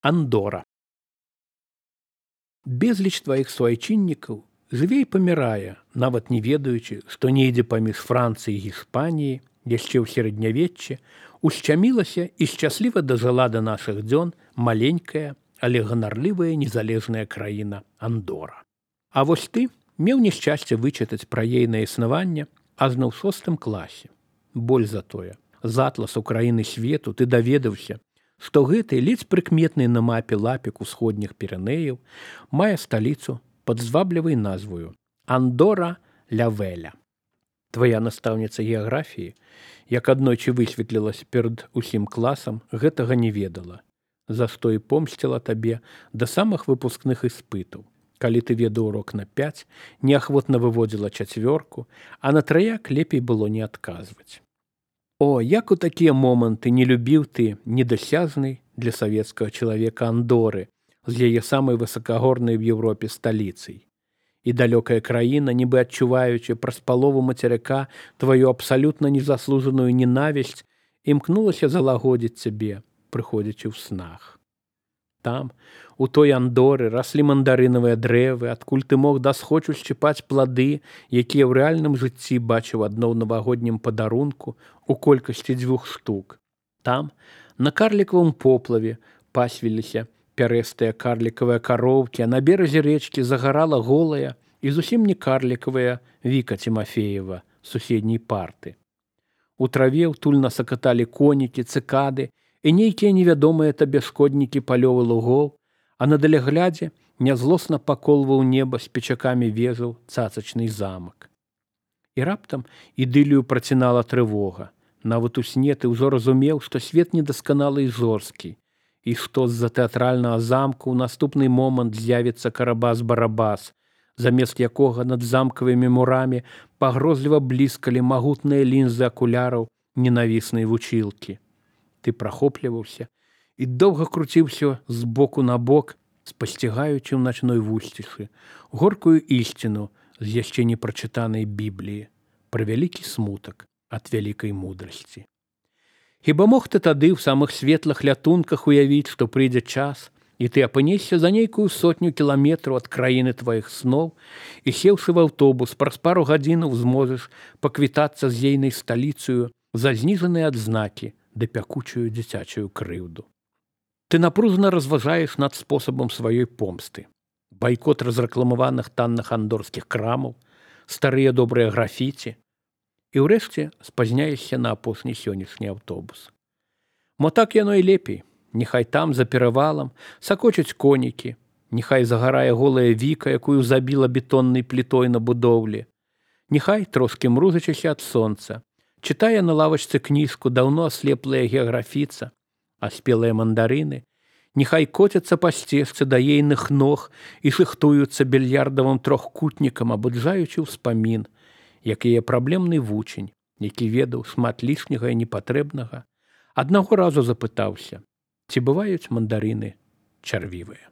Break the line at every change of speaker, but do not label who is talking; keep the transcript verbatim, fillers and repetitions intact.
Андора. Безліч тваіх суайчыннікаў жыве і памірае, нават не ведаючы, што недзе паміж Францыяй і Іспаніяй, яшчэ ў сярэднявеччы, ушчамілася і шчасліва дажыла да нашых дзён маленькая, але ганарлівая незалежная краіна Андора. А вось ты меў няшчасце вычытаць пра ейнае існаванне ажно ў шостым класе. Боль за тое. З атласу краіны свету ты даведаўся, што гэты ледзь прыкметны на мапе лапік усходніх Пірэнеяў мае сталіцу пад зваблівай назваю Андора ля Веля. Твая настаўніца геаграфіі, як аднойчы высветлілася перад усім класам, гэтага не ведала. За што і помсціла табе да самых выпускных іспытаў. Калі ты ведаў урок на пяць, неахвотна выводзіла чацвёрку, а на траяк лепей было не адказваць. О, як у такія моманты не любіў ты недасяжнай для савецкага чалавека Андоры з яе самай высакагорнай в Еўропе сталіцай. І далёкая краіна, нібы адчуваючы праз палову мацерыка тваю абсалютна незаслужаную ненавісць, імкнулася залагодзіць цябе, прыходзячы ў снах. Там, у той Андоры, раслі мандарынавыя дрэвы, адкуль ты мог дасхочу шчыпаць плады, якія ў рэальным жыцці бачыў адно ў навагоднім падарунку у колькасці дзвюх штук. Там, на карлікавым поплаве, пасвіліся пярэстыя карлікавыя кароўкі, а на беразе рэчкі загарала голая і зусім не карлікавая Віка Цімафеева з суседняй парты. У траве ўтульна сакаталі конікі, цыкады і нейкія невядомыя табе шкоднікі палёвы лугоў, а на даляглядзе нязлосна паколваў неба з печакамі вежаў цацачны замак. І раптам ідылію працінала трывога. Нават у сне ты ўжо разумеў, што свет недасканалы і жорсткі, і што з-за тэатральнага замку ў наступны момант з'явіцца карабас-барабас, замест якога над замкавымі мурамі пагрозліва бліскалі магутныя лінзы акуляраў ненавіснай вучылкі. Ты прахопліваўся і доўга круціўся з боку на бок, спасцігаючы ў начной вусцішы горкую ісціну з яшчэ не прачытанай Бібліі пра вялікі смутак ад вялікай мудрасці. Хіба мог ты тады ў самых светлых лятунках уявіць, што прыйдзе час, і ты апынешся за нейкую сотню кіламетраў ад краіны тваіх сноў і, сеўшы в аўтобус, праз пару гадзінаў зможаш паквітацца з ейнай сталіцаю за зніжаныя адзнакі ды пякучую дзіцячую крыўду. Ты напружана разважаеш над спосабам сваёй помсты. Байкот разрэкламаваных танных андорскіх крамаў, старыя добрыя графіці, і ўрэшце спазняешся на апошні сённяшні аўтобус. Мо так яно і лепей. Няхай там, за перавалам, сакочуць конікі, няхай загарае голая Віка, якую забіла бетоннай плітой на будоўлі. Няхай, трошкі мрузачыся ад сонца, чытае на лавачцы кніжку даўно аслеплая геаграфіца, а спелыя мандарыны, няхай коцяцца па сцежцы да ейных ног і шыхтуюцца більярдавым трохкутнікам, абуджаючы ўспамін, як яе праблемны вучань, які ведаў шмат лішняга і непатрэбнага, аднаго разу запытаўся, ці бываюць мандарыны чарвівыя.